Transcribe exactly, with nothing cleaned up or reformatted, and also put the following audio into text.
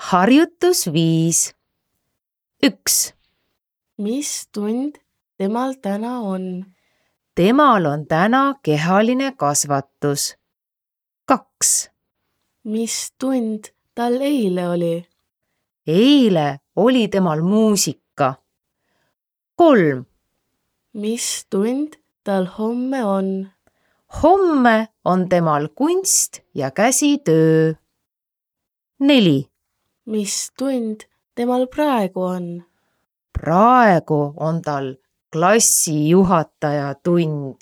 Harjutus viis. üks. Mis tund temal täna on? Temal on täna kehaline kasvatus. kaks. Mis tund tal eile oli? Eile oli temal muusika. kolm. Mis tund tal homme on? Homme on temal kunst ja käsitöö. neli. Mis tund temal praegu on? Praegu on tal klassijuhataja tund.